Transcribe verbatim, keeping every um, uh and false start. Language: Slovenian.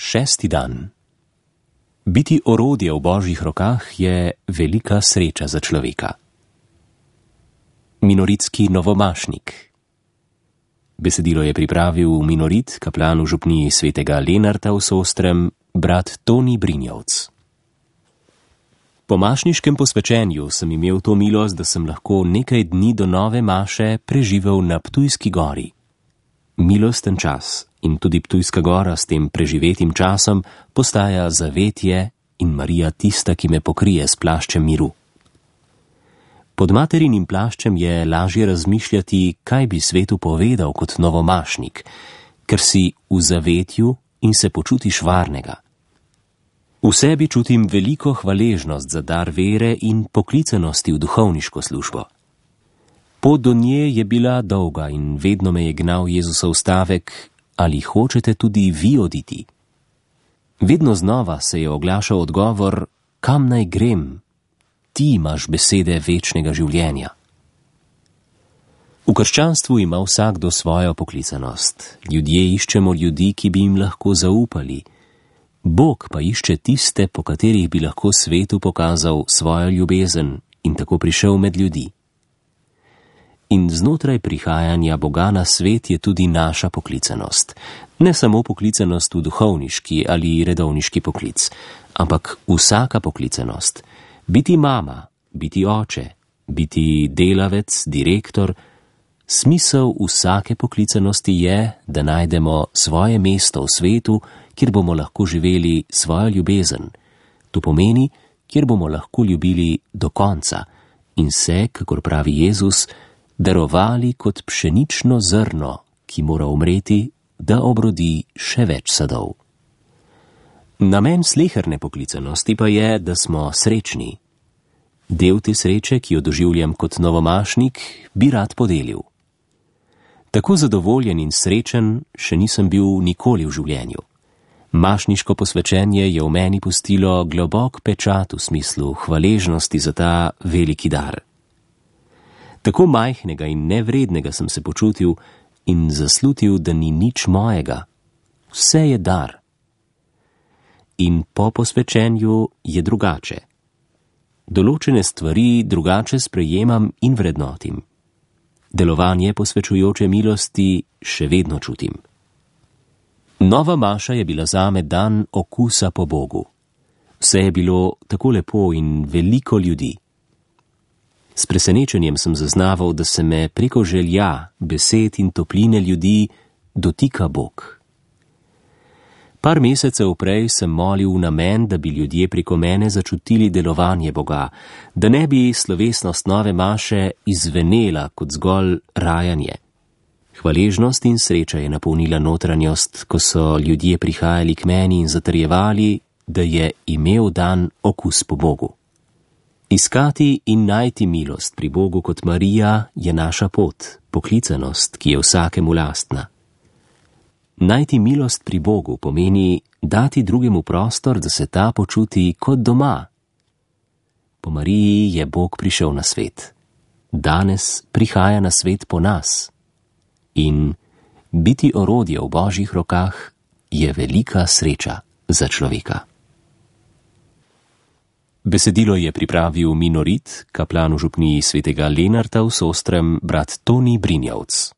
Šesti dan. Biti orodje v Božjih rokah je velika sreča za človeka. Minoritski novomašnik. Besedilo je pripravil minorit, kaplan v župniji svetega Lenarta v Sostrem, brat Toni Brinjevc. Po mašniškem posvečenju sem imel to milost, da sem lahko nekaj dni do nove maše preživel na Ptujski gori. Milosten čas in tudi Ptujska gora s tem preživetim časom postaja zavetje in Marija tista, ki me pokrije s plaščem miru. Pod materinim plaščem je lažje razmišljati, kaj bi svetu povedal kot novomašnik, ker si v zavetju in se počutiš varnega. V sebi čutim veliko hvaležnost za dar vere in poklicanosti v duhovniško službo. Pot do nje je bila dolga in vedno me je gnal Jezusov stavek: ali hočete tudi vi oditi? Vedno znova se je oglašal odgovor: kam naj grem? Ti imaš besede večnega življenja. V krščanstvu ima vsakdo svojo poklicanost. Ljudje iščemo ljudi, ki bi jim lahko zaupali. Bog pa išče tiste, po katerih bi lahko svetu pokazal svojo ljubezen in tako prišel med ljudi. In znotraj prihajanja Boga na svet je tudi naša poklicanost. Ne samo poklicanost v duhovniški ali redovniški poklic, ampak vsaka poklicanost. Biti mama, biti oče, biti delavec, direktor. Smisel vsake poklicanosti je, da najdemo svoje mesto v svetu, kjer bomo lahko živeli svojo ljubezen. To pomeni, kjer bomo lahko ljubili do konca in se, kakor pravi Jezus, darovali kot pšenično zrno, ki mora umreti, da obrodi še več sadov. Namen sleherne poklicanosti pa je, da smo srečni. Del te sreče, ki jo doživljam kot novomašnik, bi rad podelil. Tako zadovoljen in srečen še nisem bil nikoli v življenju. Mašniško posvečenje je v meni pustilo globok pečat v smislu hvaležnosti za ta veliki dar. Tako majhnega in nevrednega sem se počutil in zaslutil, da ni nič mojega. Vse je dar. In po posvečenju je drugače. Določene stvari drugače sprejemam in vrednotim. Delovanje posvečujoče milosti še vedno čutim. Nova maša je bila zame dan okusa po Bogu. Vse je bilo tako lepo in veliko ljudi. S presenečenjem sem zaznaval, da se me preko želja, besed in topline ljudi dotika Bog. Par mesecev prej sem molil v namen, da bi ljudje preko mene začutili delovanje Boga, da ne bi slovesnost nove maše izvenela kot zgolj rajanje. Hvaležnost in sreča je napolnila notranjost, ko so ljudje prihajali k meni in zatrjevali, da je imel dan okus po Bogu. Iskati in najti milost pri Bogu kot Marija je naša pot, poklicanost, ki je vsakemu lastna. Najti milost pri Bogu pomeni dati drugemu prostor, da se ta počuti kot doma. Po Mariji je Bog prišel na svet. Danes prihaja na svet po nas. In biti orodje v Božjih rokah je velika sreča za človeka. Besedilo je pripravil minorit, kaplan v župniji svetega Lenarta v Sostrem, brat Toni Brinjevc.